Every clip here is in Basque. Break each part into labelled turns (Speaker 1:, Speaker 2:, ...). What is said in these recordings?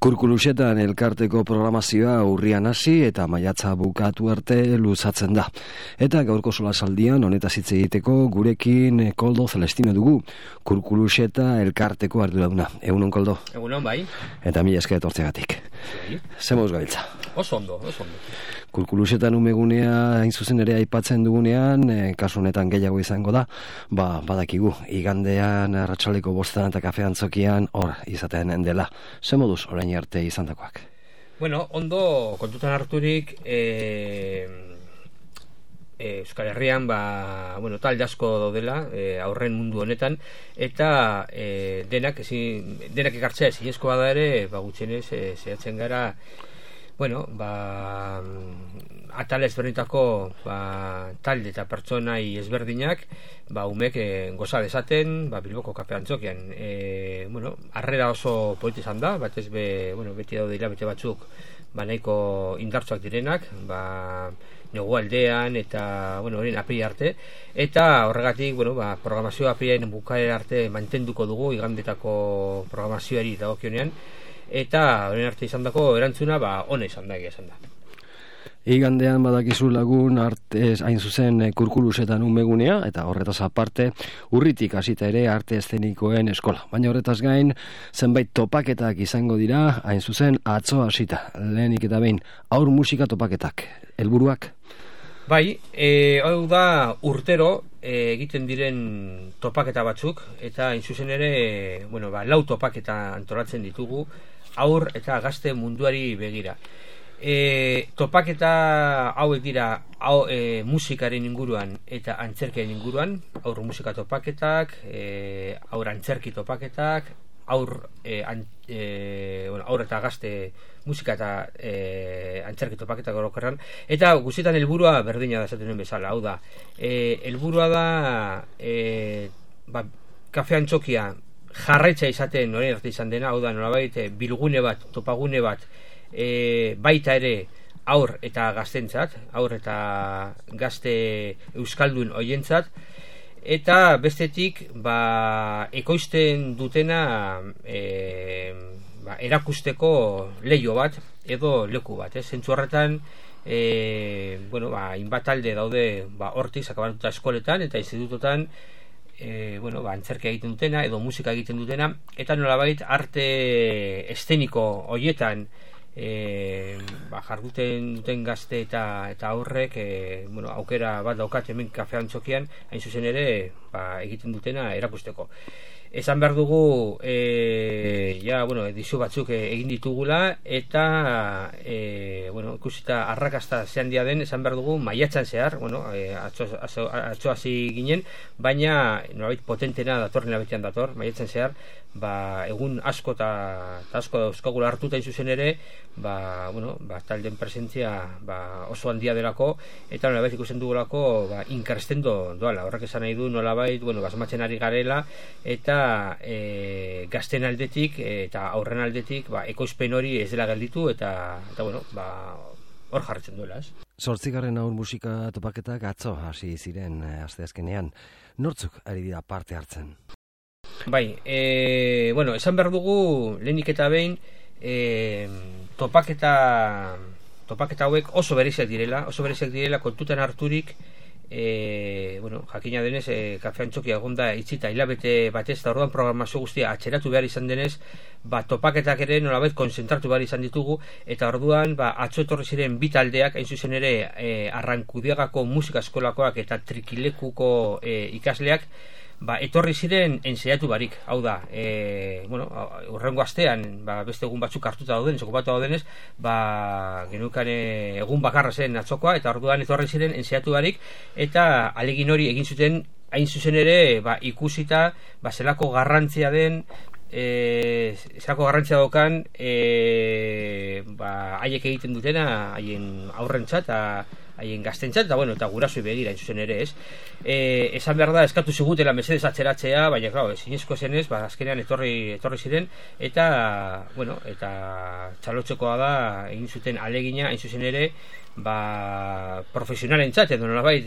Speaker 1: Kurkulusetan elkarteko programazioa urrian hasi eta maiatza bukatu arte luzatzen da. Eta gaurko solasaldian honetaz hitz egiteko gurekin Koldo Celestino dugu, Kurkuluseta elkarteko arduraduna. Egunon, Koldo?
Speaker 2: Egunon, bai.
Speaker 1: Eta mila esker etortzegatik. Ze moduz gabiltza?
Speaker 2: Oso ondo.
Speaker 1: Kurkulusetan umegunea hain zuzen ere aipatzen dugunean, kasu honetan gehiago izango da, badakigu, igandean arratsaldeko 5 eta kafe antzokian hor izaten dela. Ze moduz orain arte izandakoak?
Speaker 2: Bueno, ondo kontutan harturik Euskal Herrian talde asko daudela aurren mundu honetan, eta denak ekartzea ezinezkoa da ere, gutxienez zehatzen gara atal ezberdinetako talde eta pertsonai ezberdinak umek goza dezaten Bilboko kafe antzokian. Harrera oso polita izan da, batez beti daude hilabete batzuk nahiko indartsuak direnak, negua aldean eta horien apiri arte, eta horregatik programazioa apirien bukaera arte mantenduko dugu igandetako programazioari dagokionean, eta horren arte izan dako erantzuna ona izan da, egia izan da.
Speaker 1: Igandean badakizu lagun arte hain zuzen Kurkulusetan umegunea, eta horretaz aparte urritik hasita ere arte eszenikoen eskola. Baina horretaz gain zenbait topaketak izango dira, hain zuzen atzo hasita. Lehenik eta behin haur musika topaketak. Helburuak?
Speaker 2: Bai, hau da urtero egiten diren topaketa batzuk, eta hain zuzen ere 4 topaketa antolatzen ditugu haur eta gazte munduari begira. Topaketa hauek dira musikaren inguruan eta antzerkiaren inguruan, haur musika topaketak, haur antzerki topaketak, haur eta gazte musika eta antzerki topaketak orokorrean, eta guztietan helburua berdina da esaten duen bezala. Hau da, helburua da kafe antzokia jarraitza izaten orain arte izan dena, hau da nolabait bilgune bat, topagune bat, baita ere haur eta gaztentzat, haur eta gazte euskaldun hoientzat, eta bestetik ekoizten dutena erakusteko leio bat edo leku bat, zentzu horretan hainbat talde daude hortik sakabatuta eskoletan eta institutotan antzerkia egiten dutena edo musika egiten dutena, eta nolabait arte eszeniko hoietan jarduten duten gazte eta aurrek aukera bat daukat hemen kafe antzokian hain zuzen ere egiten dutena erakusteko. Esan behar dugu edizio batzuk egin ditugula, eta ikusita arrakasta ze handia den, esan behar dugu maiatzan zehar, atzo hasi ginen, baina nolabait potentena datorren labetean dator, maiatzan zehar, egun asko eta asko dauzkagula hartuta zuzen ere, talden presentzia oso handia delako, eta nolabait ikusten dugulako inkarsten doala. Horrek esan nahi du nolabait basmatzen ari garela, eta gazten aldetik eta aurren aldetik ekoizpen hori ez dela gelditu, eta hor jarretzen duela, ez?
Speaker 1: 8. haur musika topaketak atzo hasi ziren asteazkenean. Nortzuk ari dira parte hartzen?
Speaker 2: Bai, esan behar dugu lehenik eta behin topaketa hauek oso bereziak direla kontutan harturik, jakina denez kafe antzokia egonda itzita hilabete batez, eta orduan programazio guztia atxeratu behar izan denez, topaketak ere nolabait konzentratu behar izan ditugu, eta orduan atzo etorri ziren bi taldeak, hain zuzen ere Arrankudiagako musika eskolakoak eta Trikilekuko ikasleak etorri ziren ensaiatu barik. Hau da, urrengo astean beste egun batzuk hartuta dauden, okupatu daudenez, genukan egun bakarra zen atzokoa, eta orduan etorri ziren ensaiatu barik, eta alegin hori egin zuten hain zuzen ere ikusita zelako garrantzia den, zelako garrantzia daukan haiek egiten dutena, haien aurrentzat haien gaztentzat, eta gurasoi begira hain zuzen ere, ez? Esan behar da, eskatu zigutela mesedez atzeratzea, baina, zinezko zenez, azkenean etorri ziren, eta txalotzekoa da, egin zuten alegina, hain zuzen ere, profesionalentzat, edo nolabait,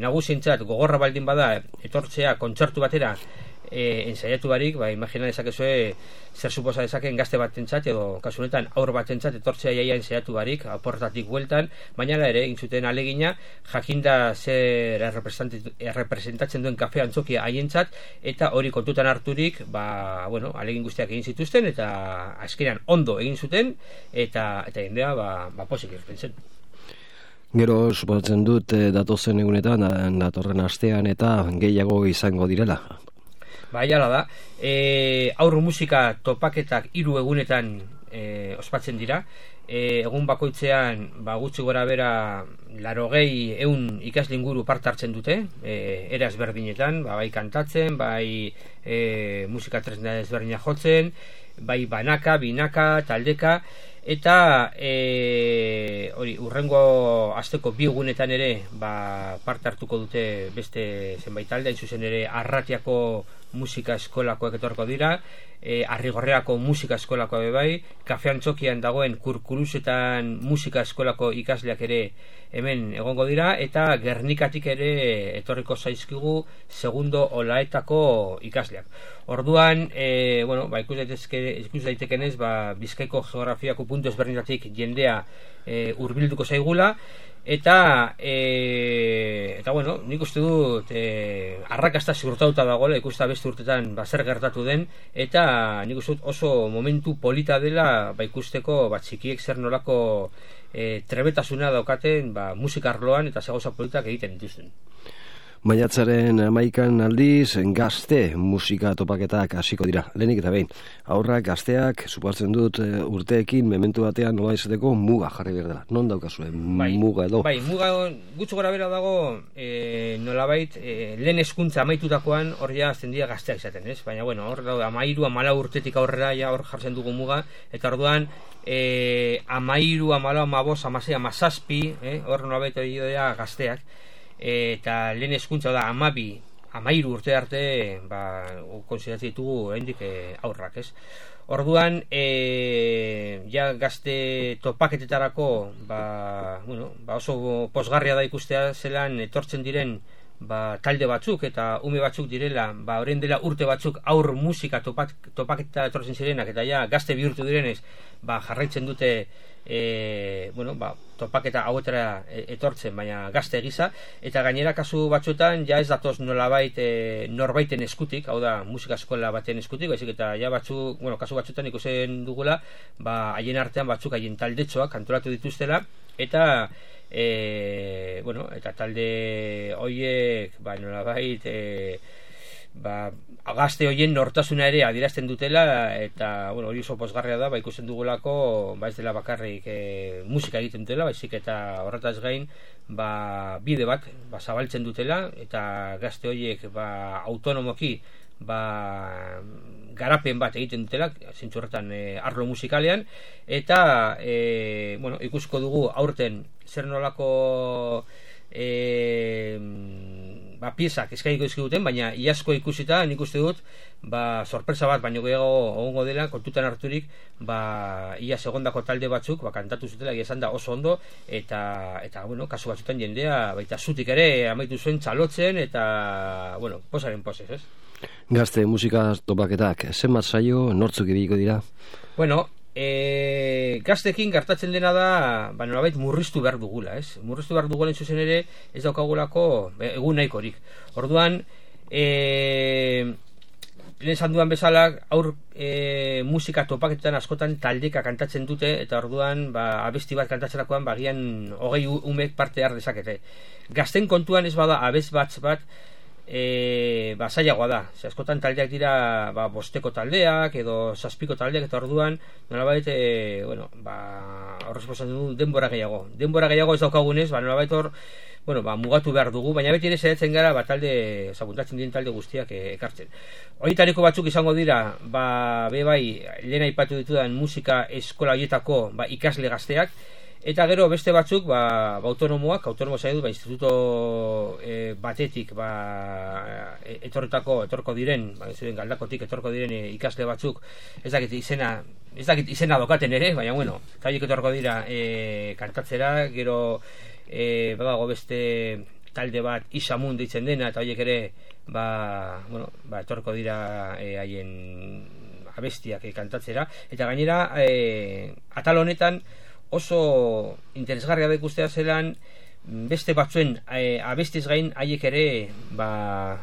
Speaker 2: nagusientzat gogorra baldin bada, etortzea kontzertu batera, ensaiatu barik, imagina dezakezue zer suposa dezaken gazte batentzat edo kasu honetan aur batentzat etortzea jaia ensaiatu barik, portatik bueltan, baina ere egin zuten alegina jakinda zer errepresentatzen duen kafe antzokia haientzat, eta hori kontutan harturik, alegin guztiak egin zituzten eta azkenean ondo egin zuten eta jendea pozik irten zen.
Speaker 1: Gero, suposatzen dut, datozen egunetan, datorren astean eta gehiago izango direla.
Speaker 2: Hala da. Aur musika topaketak 3 egunetan ospatzen dira. Egun bakoitzean, gutxi gora bera 80-100 ikasle inguru parte hartzen dute, era ezberdinetan, bai kantatzen, bai musika tresna ezberdina jotzen, bai banaka, binaka, taldeka, eta hori urrengo asteko 2 egunetan ere parte hartuko dute beste zenbait talde, hain zuzen ere Arratiako musika eskolakoak etorko dira, Arrigorreako musika eskolakoa bai, Kafe Antzokian dagoen Kurkulusetan musika eskolako ikasleak ere hemen egongo dira, eta Gernikatik ere etorriko zaizkigu segundo olaetako ikasleak. Orduan, ikus daitekenez, Bizkaiko geografiako puntu ezberdinatik jendea hurbilduko zaigula, eta nik uste dut arrakasta ziurtatuta dagoela, ikusta beste urtetan zer gertatu den, eta nik uste dut oso momentu polita dela ikusteko txikiek zer nolako trebetasuna daukaten musika arloan eta gauza politak egiten dituzten.
Speaker 1: Maiatzaren 11 aldiz gazte musika topaketak hasiko dira. Lehenik eta behin, aurrak gazteak, suposatzen dut urteekin mementu batean nola izateko muga jarri behar dela. Non daukazue muga edo?
Speaker 2: Muga gutxi gora bera dago nolabait lehen hezkuntza amaitutakoan hor ja azten dira gazteak izaten, ez? Baina hor 13-14 urtetik aurrera hor jartzen dugu muga, eta orduan 13, 14, 15, 17, hor nolabait hori dira gazteak, eta lehen hezkuntza da 12-13 urte arte konsideratzen ditugu oraindik aurrak, ez? Orduan gazte topaketetarako oso pozgarria da ikustea zelan etortzen diren talde batzuk eta ume batzuk direla, orain dela urte batzuk aur musika topaketa etortzen zirenak, eta gazte bihurtu direnez jarraitzen dute topaketa hauetara etortzen, baina gazte gisa, eta gainera kasu batzuetan ez datoz nolabait norbaiten eskutik, hau da musika eskola baten eskutik, baizik eta kasu batzuetan ikusen dugula haien artean batzuk haien taldetxoak antolatu dituztela, eta eta talde horiek nolabait gazte horien nortasuna ere adierazten dutela, eta hori oso pozgarria da, ikusten dugulako ez dela bakarrik musika egiten dutela, baizik eta horretaz gain bide bat zabaltzen dutela, eta gazte horiek autonomoki garapen bat egiten dutela, zentzu horretan arlo musikalean, eta ikusko dugu aurten zer nolako piezak eskainiko dizkiguten, baina iazko ikusita nik uste dut sorpresa bat baino gehiago egongo dela, kontutan harturik iaz egondako talde batzuk kantatu zutela, esan da oso ondo, eta kasu batzutan jendea baita zutik ere amaitu zuen txalotzen, eta posaren posez, ez?
Speaker 1: Gazte musika topaketak zenbat saio nortzuk ibiliko dira?
Speaker 2: Gaztekin gertatzen dena da nolabait murriztu behar dugula, ez? Murriztu behar dugula zuzen ere ez daukagulako egun nahikorik. Orduan lehen esan duan bezala aur musika topaketan askotan taldeka kantatzen dute, eta orduan abesti bat kantatzerakoan bagian 20 umek parte har dezakete. Gazten kontuan ez bada abez bat zailagoa da, askotan taldeak dira bosteko taldeak edo 7ko taldeak, eta orduan nolabait horrez posatzen du denbora gehiago ez daukagunez, nolabait hor mugatu behar dugu, baina beti ere zaitzen gara talde, puntatzen diren talde guztiak ekartzen. Horitariko batzuk izango dira lehen aipatu ditudan musika eskola horietako ikasle gazteak, eta gero beste batzuk autonomo zaitu instituto batetik etorko diren, Galdakotik etorko diren ikasle batzuk, ez dakit izena dokaten ere, baina eta horiek etorko dira kantatzera. Gero badago beste talde bat Isamun deitzen dena, eta horiek ere etorko dira haien abestiak kantatzera, eta gainera atal honetan oso interesgarria da ikustea zelan beste batzuen abestiz gain haiek ere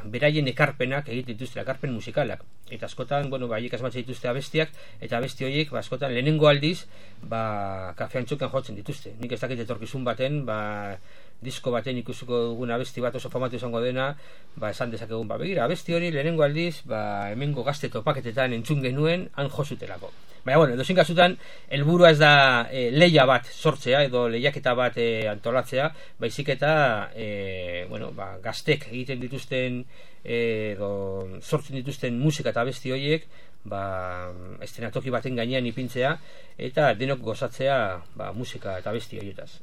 Speaker 2: beraien ekarpenak egiten dituzte, ekarpen musikalak, eta askotan haiek asmatzen dituzte abestiak, eta abesti horiek askotan lehenengo aldiz Kafe Antzokian jotzen dituzte. Nik ez dakit etorkizun baten disko baten ikusiko dugun abesti bat oso famatu izango dena, esan dezakegun, begira, abesti hori lehenengo aldiz hemengo gazte topaketetan entzun genuen han jozutelako. Baina, edozein kasutan, helburua ez da lehia bat sortzea edo lehiaketa bat antolatzea, baizik eta gaztek egiten dituzten edo sortzen dituzten musika eta abesti horiek estenatoki baten gainean ipintzea eta denok gozatzea musika eta abesti horietaz.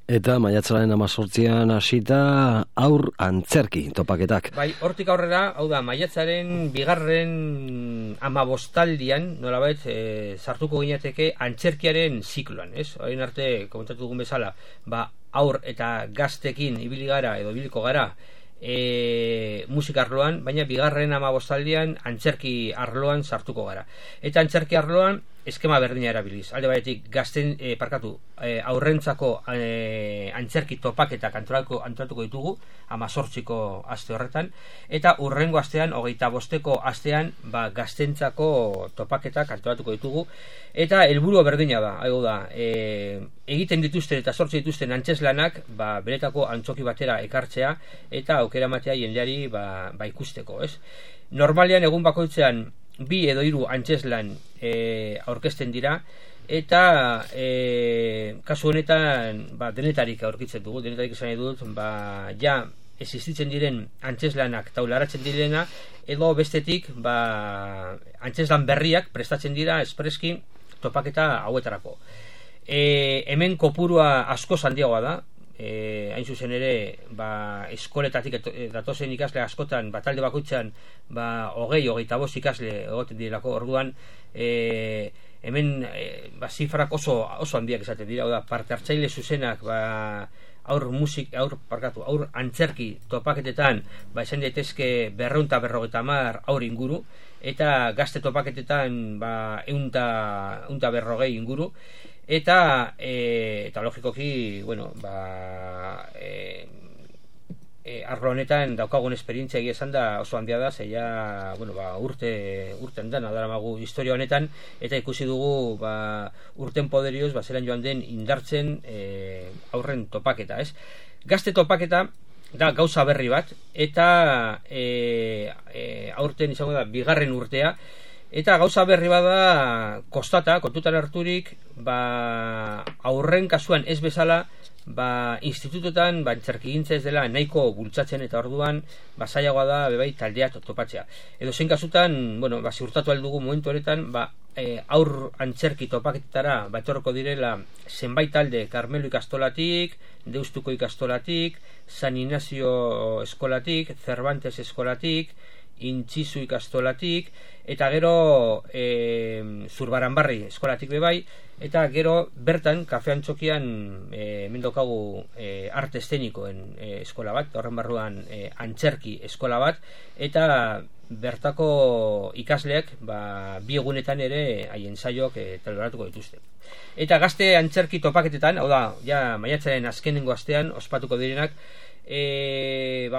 Speaker 1: Eta maiatzaren 18an hasita aur antzerki topaketak.
Speaker 2: Hortik aurrera, hau da, maiatzaren 2. 15aldian, nolabait, sartuko ginateke antzerkiaren zikloan, ez? Orain arte, komentatu dugun bezala, aur eta gaztekin ibili gara edo ibiliko gara musika arloan, baina 2. 15aldian antzerki arloan sartuko gara. Eta antzerki arloan eskema berdina erabiliz. Alde batetik gazten aurrentzako antzerki topaketak antolatuko ditugu 18ko aste horretan, eta hurrengo astean 25ko astean gaztentzako topaketak antolatuko ditugu, eta helburu berdina da, hau da, egiten dituzten eta sortzen dituzten antzeslanak beretako antzoki batera ekartzea eta aukera ematea jendeari ikusteko, ez? Normalean egun bakoitzean 2 edo 3 antzeslan aurkezten dira, eta kasu honetan denetarik aurkitzen dugu, denetarik esan dut, ja existitzen diren antzeslanak taularatzen direna, edo bestetik antzeslan berriak prestatzen dira espreski topaketa hauetarako. Hemen kopurua asko handiagoa da, hain zuzen ere eskoletatik datozen ikasle askotan talde bakoitzean 20-25 ikasle egoten direlako, orduan hemen zifrak oso handiak esaten dira, parte hartzaile zuzenak aur antzerki topaketetan esan daitezke 250 aur inguru, eta gazte topaketetan 140 inguru, eta logikoki arlo honetan daukagun esperientzia egia esan da oso handia da, zeia urten dana daramagu historia honetan, eta ikusi dugu urten poderioz zelan joan den indartzen aurren topaketa, ez? Gazte topaketa da gauza berri bat, eta aurten izango da 2. urtea, eta gauza berri bada kontutan harturik aurren kasuan ez bezala institutotan antzerkigintza ez dela nahiko bultzatzen, eta orduan zailagoa da bebai taldea topatzea. Edo zein kasutan, ziurtatu aldugu momentu honetan aur antzerki topaketara etorriko direla zenbait talde Karmelo ikastolatik, Deustuko ikastolatik, San Ignacio eskolatik, Cervantes eskolatik, Intzizu ikastolatik, eta gero Zurbaranbarri eskolatik bebai, eta gero bertan Kafe Antzokian mendokagu arte eszenikoen eskola bat, horren barruan antzerki eskola bat, eta bertako ikasleak 2 egunetan ere haien saioak taleratuko dituzte. Eta gazte antzerki topaketetan, hau da, ja maiatzaren azkenengo astean ospatuko direnak,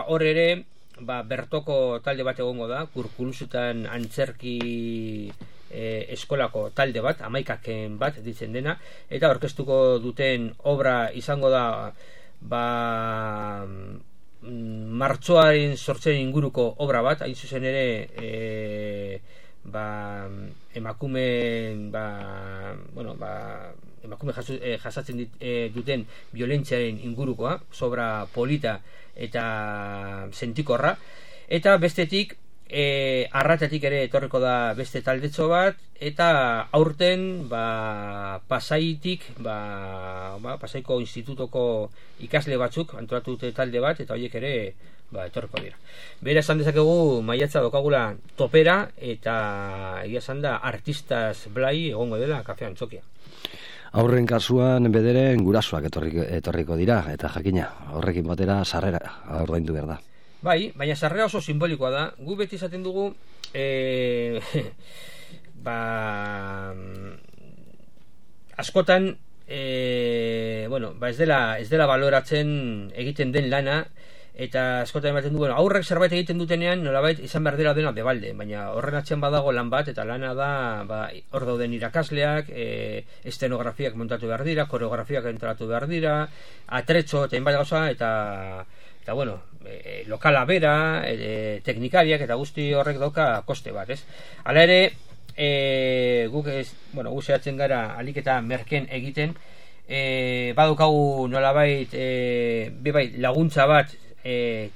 Speaker 2: hor ere bertoko talde bat egongo da, Kurkuluzutan antzerki eskolako talde bat, 11 bat ditzen dena, eta orkestuko duten obra izango da martxoaren 8 inguruko obra bat, hain zuzen ere emakume jasatzen duten violentziaren ingurukoa, sobra polita eta sentikorra, eta bestetik arratatik ere etorriko da beste taldetxo bat, eta aurten Pasaitik Pasaiko institutoko ikasle batzuk antolatu dute talde bat, eta horiek ere etorriko dira. Bera esan dezakegu maiatza dokagula topera, eta egia esan da artistas blai egongo dela Kafe Antzokia.
Speaker 1: Aurren kasuan bederen gurasoak etorriko dira, eta jakina, horrekin batera sarrera ordaindu behar da.
Speaker 2: Bai, baina sarrera oso simbolikoa da. Gu beti izaten dugu askotan ez dela baloratzen egiten den lana, eta askotan ematen du, aurrek zerbait egiten dutenean nolabait izan behar dela dena debalde, baina horren atzean badago lan bat, eta lana da hor dauden irakasleak, estenografiak montatu behar dira, koreografiak entratu behar dira, atretxo eta inbat gauza, eta lokala bera, teknikariak eta guzti horrek dauka koste bat, ez? Hala ere, guk zehatzen gara alik eta merken egiten, badaukagu nolabait laguntza bat,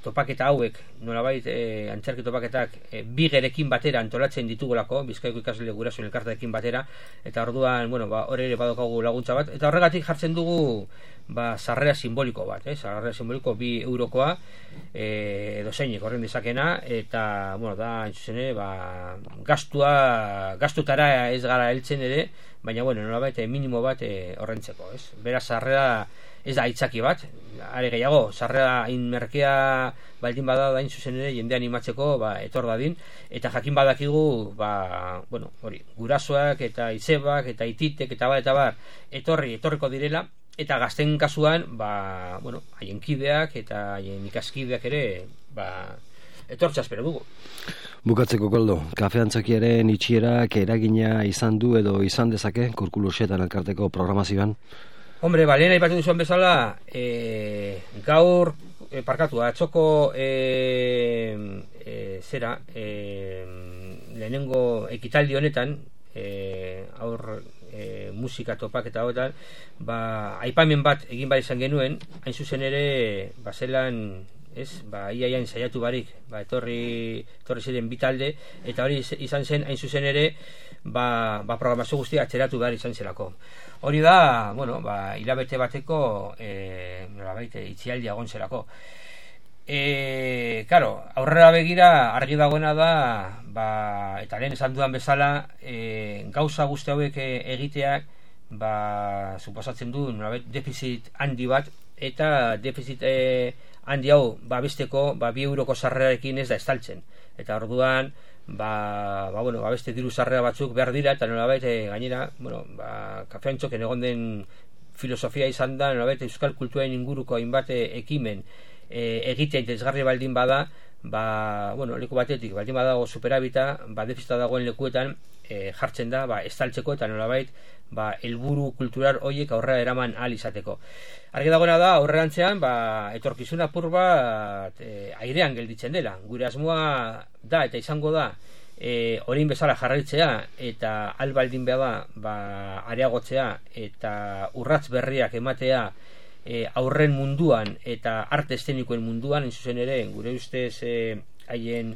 Speaker 2: topaketa hauek, nolabait antzerki topaketak bigerekin batera antolatzen ditugulako, Bizkaiko ikasle gurasoen elkarteekin batera, eta orduan, hori ere badaukagu laguntza bat, eta horregatik jartzen dugu sarrera simboliko bat, sarrera simboliko 2 eurokoa, edo zeinik horren dezakena, eta, da, entzuzene, gastutara ez gara heltzen ere, baina, nolabait minimo bat horrentzeko, ez? Beraz, sarrera ez da aitzaki bat, are gehiago, sarrera inmerkea baldin bada da zuzen ere jende animatzeko etor dadin, eta jakin badakigu gurasoak eta izebak eta ititek eta bar etorriko direla, eta gazten kasuan haien kideak eta haien ikaskideak ere etortza espero dugu.
Speaker 1: Bukatzeko, Koldo, kafe antzokiaren itxierak eragina izan du edo izan dezake Kurkulusetan elkarteko programazioan?
Speaker 2: Hombre, lehen aipatzen duzuen bezala, gaur, atzoko lehenengo ekitaldi honetan, musika topak eta hoetan, aipamen bat egin bar izan genuen, hain zuzen ere, zelan, iaiain saiatu barik, etorri ziren bitalde, eta hori izan zen, hain zuzen ere, programazio guztia atzeratu behar izan zelako. Hori da, hilabete bateko itxialdia egon zelako. Aurrera begira argi dagoena da, eta lehen esan dudan bezala, gauza guzti hauek egiteak, suposatzen du defizit handi bat, eta defizit handi hau besteko 2 euroko sarrerarekin ez da estaltzen. Eta orduan, beste diru sarrera batzuk behar dira, eta nolabait gainera, kafe antzoken egon den filosofia izan da, nolabait euskal kulturaren inguruko hainbat ekimen egitea interesgarri baldin bada, leku batetik baldin badago superabita, defizita dagoen lekuetan jartzen da, estaltzeko eta nolabait helburu kultural horiek aurrera eraman ahal izateko. Argi dagoena da, aurrerantzean, etorkizun apur bat airean gelditzen dela. Gure asmoa da eta izango da orain bezala jarraitzea eta albaldin behar da areagotzea eta urrats berriak ematea aurren munduan eta arte eszenikoen munduan, zuzen ere, gure ustez haien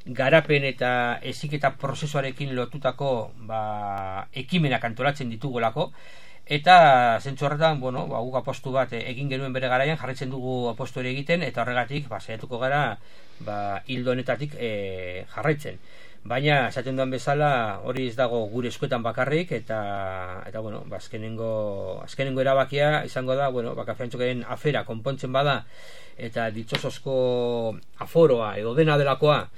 Speaker 2: garapen eta heziketa prozesuarekin lotutako ekimenak antolatzen ditugulako, eta zentzu horretan, guk apostu bat egin genuen bere garaian, jarraitzen dugu apostu ere egiten, eta horregatik saiatuko gara hildo honetatik jarraitzen. Baina, esaten duan bezala, hori ez dago gure eskuetan bakarrik, eta azkenengo erabakia izango da, kafe antzokaren afera konpontzen bada, eta ditxosozko aforoa edo dena delakoa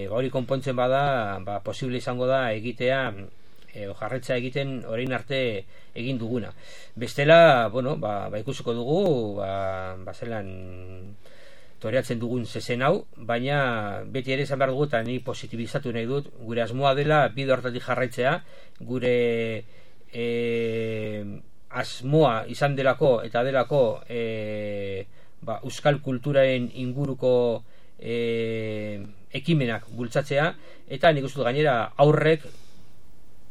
Speaker 2: hori konpontzen bada, posible izango da egitea jarretza egiten orain arte egin duguna. Bestela, ikusiko dugu zelan toreatzen dugun zezen hau, baina beti ere izan behar dugu, eta ni positibizatu nahi dut, gure asmoa dela bide hortatik jarraitzea, gure asmoa izan delako eta delako euskal kulturaren inguruko ekimenak bultzatzea, eta nik uste dut gainera aurrek,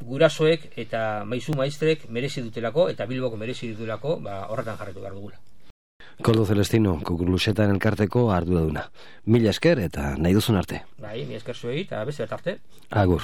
Speaker 2: gurasoek eta maizu maistrek merezi dutelako, eta Bilboko merezi dutelako, horretan jarraitu behar dugula.
Speaker 1: Koldo Celestino, Kurkulusetan elkarteko arduraduna. Mila esker eta nahi duzun arte.
Speaker 2: Mila esker zuei eta beste arte.
Speaker 1: Agur.